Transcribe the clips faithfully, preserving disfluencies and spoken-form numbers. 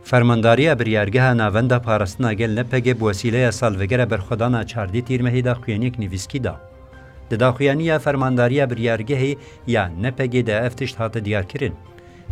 Fermandariya Biryargeha Navenda Parastina Gel N P G bi wesîleya salvegera berxwedana çardê Tîrmehê daxuyaniyek nivîskî da. Di daxuyaniya Fermandariya Biryargehê ya N P G de ev tişt hate diyarkirin.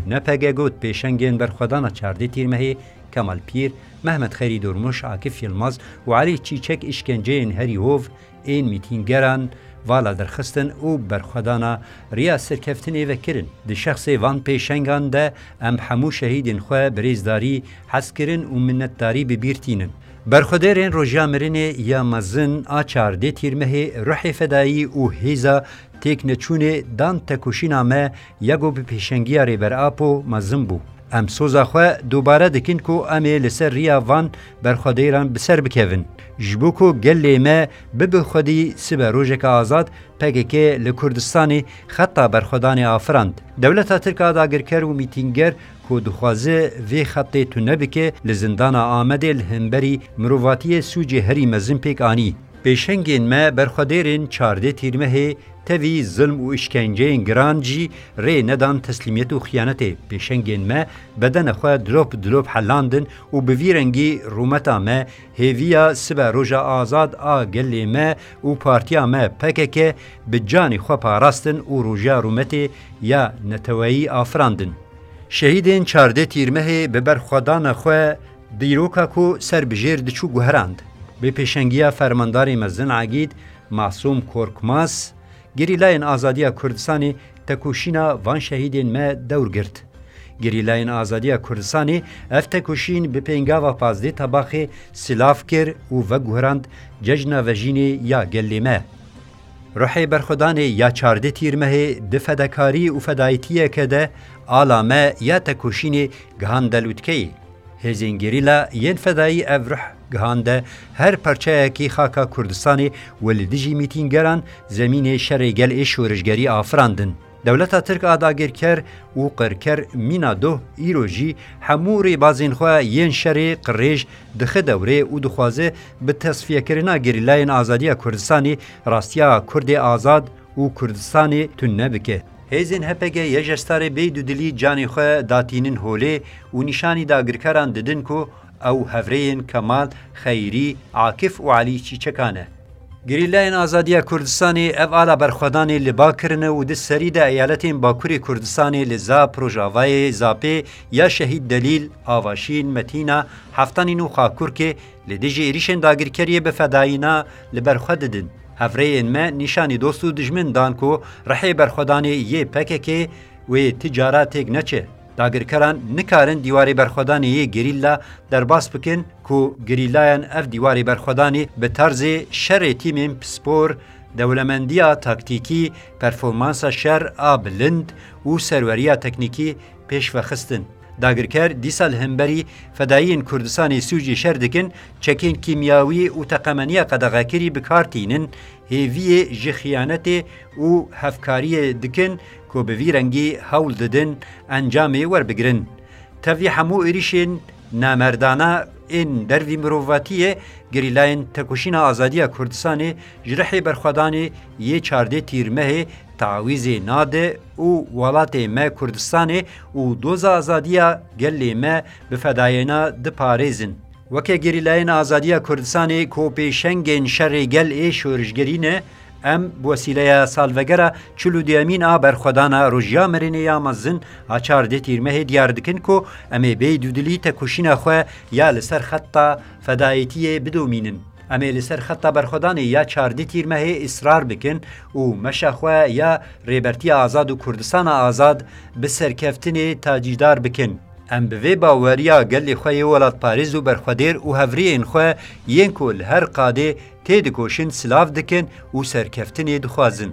N P G got, pêşengên berxwedana çardê Tîrmehê Kemal Pîr, Mehmet Xerî Durmuş, Akif Yilmaz û Elî Çîçek îşkenceyên herî hov ên mîtîngeran vala derxistin û berxwedana riya serkeftinê vekirin. Di şexsê van pêşengan de em hemû şehîdên xwe bi rêzdarî hez kirin û minnetdarî bi bîr tînin. Berxwedêrên roja mirinê ya mezin a çardê Tîrmehê ruhê fedayî û hêza têkneçûnê dan tekoşîna me ya ku bi pêşengiya Rêber Apo mezin bû. Em soza xwe dubare dikin ku em ê li ser riya van berxwedêran bi ser bikevin. Ji bo ku gelê me bibe xwedî sibe rojeke azad, P K K li Kurdistanê xeta berxwedanê afirand. Dewleta Tirk a dagirker û mîtînger ku dixwaze vê xetê tune bike, li zindana Amedê li hemberî mirovatiyê sûcê herî mezin pêk anî. Pêşengên me berxwedêrên çardê Tîrmehê tevî zilm û îşkenceyên giran jî rê nedan teslîmiyet û xiyanetê. Pêşengên me bedene xwe dilop dilop helandin û bi vî rengî rûmeta me hêviya sibe roja azad a gelê me û partiya me P K K bi canê xwe parastin û roja rûmetê ya neteweyî afirandin. Şehîdên çardê Tîrmehê bi berxwedana xwe dîroka ku ser bi jêr diçû guherand. Bi pêşengiya fermandarê mezin Egîd Masûm Korkmaz, gerîlayên azadiya Kurdistanê tekoşîna van şehîdên me dewr girt. Gerîlayên azadiya Kurdistanê ev tekoşîn bi pêngava pazdeh Tebaxê silav kir û veguherand cejna vejînê ya gelê me. Ruhê berxwedanê ya çardeh Tîrmehê di fedekarî û fedayîtiyeke de ala me ya tekoşînê gihande lûtkeyê. Hêzên gerîla yên fedayî ev ruh gihande her parçeyekî xaka Kurdistanê û li dijî mîtîngeran zemînê şerê gel ê şorişgerî afirandin. Dewleta Tirk a dagirker û qirker mîna doh îro jî hemû rêbazên xwe yên şerê qirêj dixe dewrê û dixwaze bi tesfiyekirina gerîlayên azadiya Kurdistanê rastiya Kurdê azad û Kurdistanê tune bike. Hêzên H P G yê ji starê bê dudilî canê xwe datînin holê û nîşanî dagirkeran didin ku ew hevrêyên Kemal, Xeyrî, Akif û Elî Çîçeka ne. Gerîlayên Azadiya Kurdistanê ev ala berxwedanê li ba kirine û di serî de eyaletên Bakurê Kurdistanê li Zap, Rojavayê, Zapê ya Şehîd Delîl, Avaşîn, Metîna, Heftanîn û Xakurkê li dijî êrîşên dagirkeriyê bi fedayîna li ber xwe didin. Hevrêyên me nîşanî dost û dijmin dan ku rihê berxwedanê yê P K K wê ti cara têk neçe. Dagirkeran nikarin dîwarê berxwedanê yê gerîla derbas bikin ku gerîlayan ev dîwarê berxwedanê bi tarzê şerê tîmên pispor, dewlemendiya taktîkî, performansa şer a bilind û serweriya teknîkî pêş ve xistin. Dagirker dîsa li hemberî fedayiyên Kurdistanê sûcê şer dikin, çekên kîmyawî û teqemeniya qedexekirî bi kar tînin, hêviyê ji xiyanetê û hevkariyê dikin ku bi vî rengî hewl didin encamê werbigirin. Tevî hemû êrîşên namerdana ên dervî mirovatiyê, gerîlayên Tekoşîna Azadiya Kurdistanê ji rihê berxwedanê yê çardê Tîrmehê tawîzê nade û welatê me Kurdistanê û doza azadiya gelê me bi fedayena diparêzin. Weke gerîlayên azadiya Kurdistanê ku pêşengên şerê gel ê şorişgerî ne, em bi wesîleya salvegera çil û duyemîn a berxwedana Roja Mirinê ya mezin a çardeh Tîrmehê diyar dikin ku em ê bê dûdilî tekoşîna xwe ya li ser xeta fedayetiyê bidomînin. Em ê li ser xeta berxwedanê ya çardeh Tîrmehê israr bikin û meşa xwe ya Rêbertiya Azad û Kurdistana Azad bi serkeftinê tacîdar bikin. Em bi vê baweriya gelê xwe yê welatparêz û berxwedêr û hevrêyên xwe yên ku li her qadê têdikoşin silav dikin û serkeftinê dixwazin.